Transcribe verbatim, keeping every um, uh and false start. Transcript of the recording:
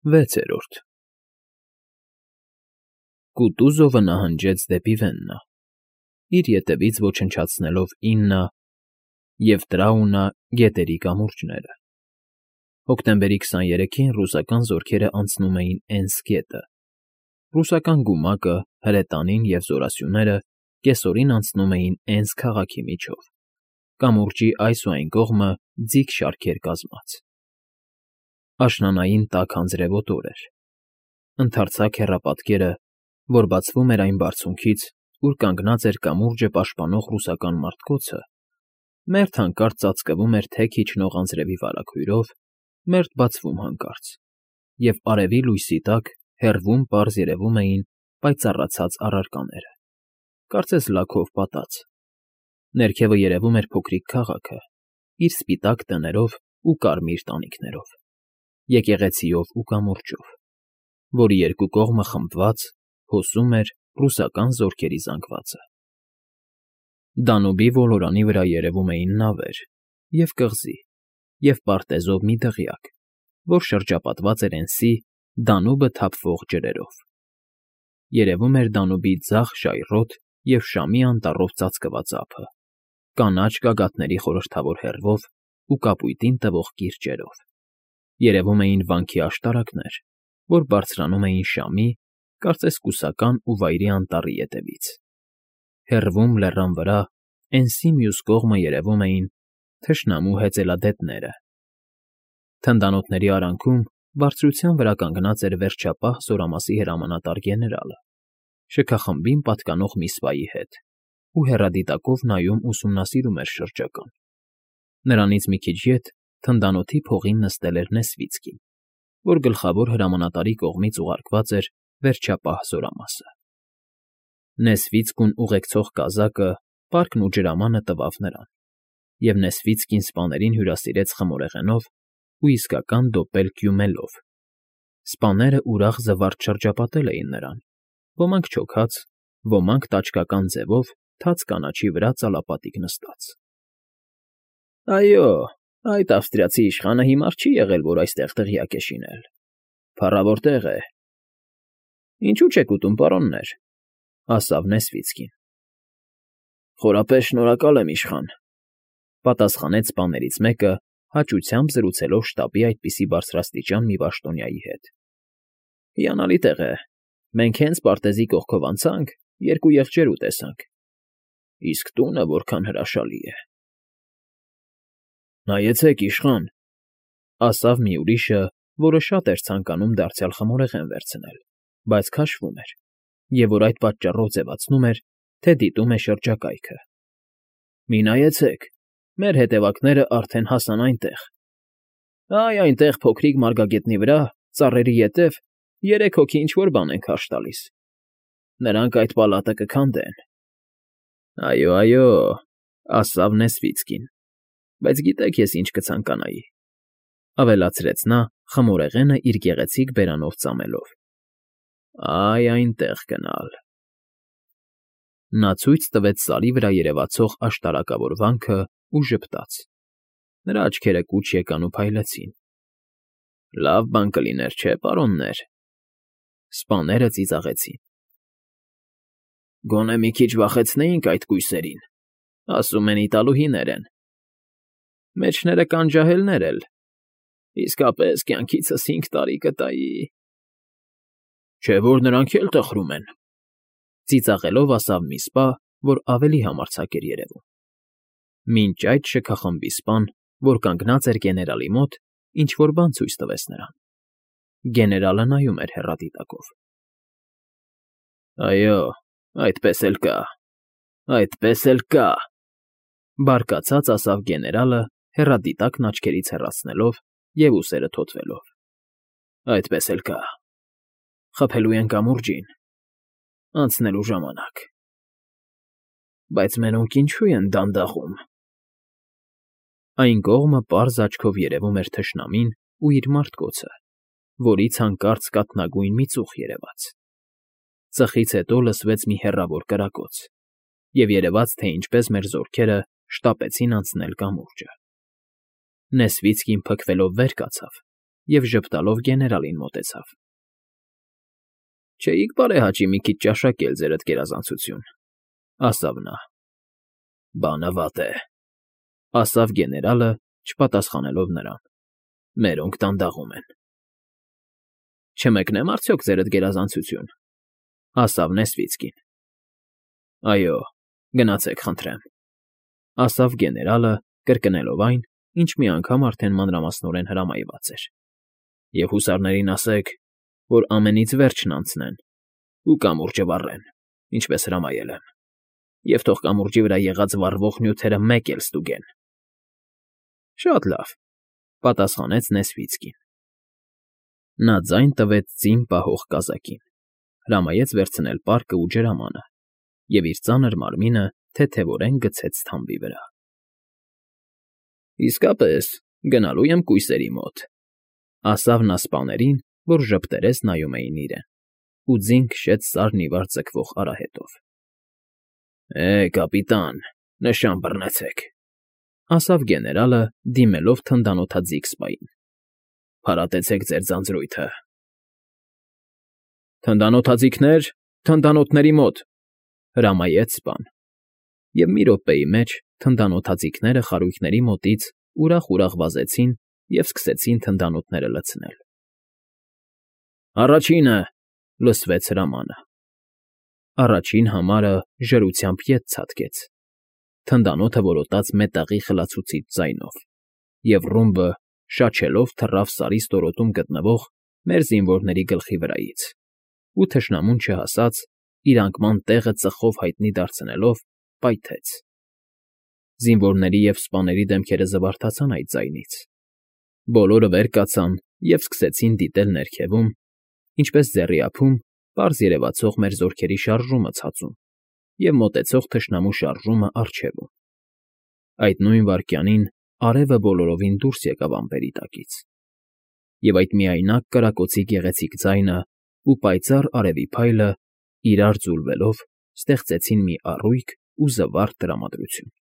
Վեցերորդ Կուտուզովը նահանջեց դեպի Վեննա, իր ետևից ոչնչացնելով Իննա և Տրաունա գետերի կամուրջները։ Հոկտեմբերի քսաներեքին ռուսական զորքերն անցնում էին Էնս գետը, ռուսական գումակը, հրետանին և զորասյուները կեսօրին անցնում էին Էնս քաղաքի միջով, կամուրջի այս ու այն կողմը ձիգ շարքեր կազմած։ Աշնանային տաք անձրևոտ օր էր։ Ընդարձակ հեռապատկերը, որ բացվում էր այն բարձունքից, ուր կանգնած էր կամուրջը պաշտպանող ռուսական մարդկոցը, մերթ հանկարծ ծածկվում էր թեք իջնող անձրևի վարագույրով, մերթ բացվում հանկարծ, և արևի լույսի տակ հեռվում պարզ երևում էին պայծառացած առարկաները, կարծես լաքով պատած։ Ներքևը երևում էր փոքրիկ քաղաքը, իր սպիտակ տներով ու կարմիր տանիքներով, եկեղեցիով ու կամուրջով, որի երկու կողմը խմբված հոսում էր ռուսական զորքերի զանգվածը։ Դանուբի ոլորանի վրա երևում էին նավեր և կղզի և պարտեզով մի դղյակ, որ շրջապատված էր Էնսի Դանուբը թափվող ջրերով։ Երևում էր Դանուբի ձախ ժայռոտ և Շամի անտառով ծածկված ափը, կանաչ գագաթների խորհրդավոր հեռվով ու կապույտին տվող կիրճերով, երևում էին վանքի աշտարակներ, որ բարձրանում էին Շամի, կարծես կուսական ու վայրի անտառի ետևից։ Հեռվում, լեռան վրա, Էնսի մյուս կողմը երևում էին թշնամու հեծելադետները։ Թնդանոթների արանքում բարձրության վրա կանգնած էր վերջապահ զորամասի հրամանատար գեներալը, շքախմբին պատկանող մի սպայի հետ, ու հեռադիտակով նայում ուսումնասիրում էր շրջական։ Նրանից մի քիչ ետ թնդանոթի փողին նստել էր Նեսվիցկին, որ գլխավոր հրամանատարի կողմից ուղարկված էր վերջապահ զորամասը։ Նեսվիցկուն ուղեկցող կազակը, պարկն ու ջրամանը տվավ նրան, և Նեսվիցկին սպաներին հյուրասիրեց խմորեղենով ու իսկական դոպել կյումելով։ Սպաները ուրախ զվարճ շրջապատել էին նրան, ոմանք չոքած, ոմանք տաճկական ձևով թաց կանաչի վրա ծալապատիկ նստած։ ֊ Այո, այդ ավստրիացի իշխանը հիմար չի եղել, որ այստեղ դղյակ է շինել, փառավոր տեղ է։ ֊ Ինչու չեք ուտում, պարոններ,֊ ասավ Նեսվիցկին։ ֊ Խորապես շնորհակալ եմ, իշխան,֊ պատասխանեց սպաներից մեկը, հաճությամբ զրուցելով շտաբի այդպիսի բարձրաստիճան մի պաշտոնյայի հետ։ ֊ Հիանալի տեղ է, մենք հենց պարտեզի կողքով անցանք, երկու եղջերու տեսանք, իսկ տունը որքան հրաշալի է։ ֊ Նայեցեք, իշխան,֊ ասավ մի ուրիշը, որը շատ էր ցանկանում դարձյալ խմորեղեն վերցնել, բայց քաշվում էր, և որ այդ պատճառով ձևացնում էր, թե դիտում է շրջակայքը։ ֊ Մի նայեցեք, մեր հետևակներն արդեն հասան այնտեղ… Այ այնտեղ փոքրիկ մարգագետնի վրա, ծառերի ետև, երեք հոգի ինչ֊որ բան են քարշ տալիս… Նրանք այդ պալատը կքանդեն։ ֊ Այո, այո,֊ ասավ Նեսվիցկին,֊ բայց գիտեք ես ինչ կցանկանայի,֊ ավելացրեց նա, խմորեղենը իր գեղեցիկ բերանով ծամելով,֊ այ այնտեղ գնալ… Նա ցույց տվեց Սարի վրա երևացող աշտարակավոր վանքն ու ժպտաց։ Նրա աչքերը կուչ եկան ու փայլեցին։ ֊ Լավ բան կլիներ, չէ՞, պարոններ… Սպաները ծիծաղեցին։ ֊ Գոնե մի քիչ վախեցնեինք այդ կույսերին, ասում են իտալուհիներ են… Մեջները կան ջահելներ էլ… Իսկապես, կյանքիցս հինգ տարի կտայի… ֊ Չէ՞ որ նրանք էլ տխրում են,֊ ծիծաղելով ասավ մի սպա, որ ավելի համարձակ էր երևում։ Մինչ այդ շքախմբի սպան, որ կանգնած էր գեներալի մոտ, ինչ֊որ բան ցույց տվեց նրան։ Գեներալը նայում էր հեռադիտակով։ ֊ Այո, այդպես էլ կա, այդպես էլ կա,֊ բարկացած ասավ գեներալը, հեռադիտակն աչքերից հեռացնելով և ուսերը թոթվելով,֊ այդպես էլ կա… Խփելու են կամուրջին… Անցնելու ժամանակ… Բայց մենոնք ինչո՞ւ են դանդաղում… Այն կողմը պարզ աչքով երևում էր թշնամին ու իր մարդկոցը, որից հանկարծ կաթնագույն մի ծուխ երևաց։ Ծխից հետո լսվեց մի հեռավոր կրակոց, և երևաց, թե ինչպես մեր զորքերը շտապեցին անցնել կամուրջը։ Նեսվիցկին փքվելով վեր կացավ և ժպտալով գեներալին մոտեցավ։ ֊ Չէիք բարեհաճի մի քիչ ճաշակել, ձերդ գերազանցություն, ֊ ասավ նա։ ֊ Բանը վատ է, ֊ ասավ գեներալը, չպատասխանելով նրան։ ֊ Մերոնք դանդաղում են։ ֊ Չմեկնե՞մ արդյոք, ձերդ գերազանցություն, ֊ ասավ Նեսվիցկին։ ֊ Այո, գնացեք խնդրեմ, ֊ ասավ գեներալը, կրկնելով այն, ինչ մի անգամ արդեն մանրամասնորեն հրամայված էր։ ֊ Եվ հուսարներին ասեք, որ ամենից վերջն անցնեն ու կամուրջը վառեն, ինչպես հրամայել եմ, և թող կամուրջի վրա եղած վառվող նյութերը մեկ էլ ստուգեն։ ֊ Շատ լավ, ֊ պատասխանեց Նեսվիցկին։ Նա ձայն տվեց ձին պահող կազակին, հրամայեց վերցնել պարկն ու ջրամանը և իր ծանր մարմինը թեթևորեն գցեց թամբի վրա։ ֊ Իսկապես, գնալու եմ կույսերի մոտ, ֊ ասավ նա սպաներին, որ ժպտերես նայում էին իրեն, ու ձին քշեց սարն ի վար ձգվող արահետով։ ֊ Է, կապիտան, նշան բռնեցեք, ֊ ասավ գեներալը, դիմելով թնդանոթաձիգ սպային։ ֊ Փարատեցեք ձեր ձանձրույթը։ ֊ Թնդանոթաձիգներ, թնդանոթների մոտ, ֊ հրամայեց սպան, և մի րոպեի մեջ թնդանոթաձիգները խարույկների մոտից ուրախ֊ուրախ վազեցին և սկսեցին թնդանոթները լցնել։ ֊ Առաջինը, ֊ լսվեց հրամանը։ Առաջին համարը ժրությամբ ետ ցատկեց, թնդանոթը որոտաց մետաղի խլացուցիչ ձայնով, և ռումբը շաչելով թռավ Սարի ստորոտում գտնվող մեր զինվորների գլխի վրայից ու, թշնամուն չհասած, իր անկման տեղը ծխով հայտնի դարձնելով, պայթեց։ Զինվորների և սպաների դեմքերը զվարթացան այդ ձայնից։ Բոլորը վեր կացան և սկսեցին դիտել ներքևում, ինչպես ձեռի ափում պարզ երևացող մեր զորքերի շարժումը ցածում և մոտեցող թշնամու շարժումը առջևում։ Այդ նույն վայրկյանին արևը բոլորովին դուրս եկավ ամպերի տակից, և այդ միայնակ կրակոցի գեղեցիկ ձայնն ու պայծառ արևի փայլը, իրար ձուլվելով, ստեղծեցին մի առույգ ու զվարթ տրամադրություն։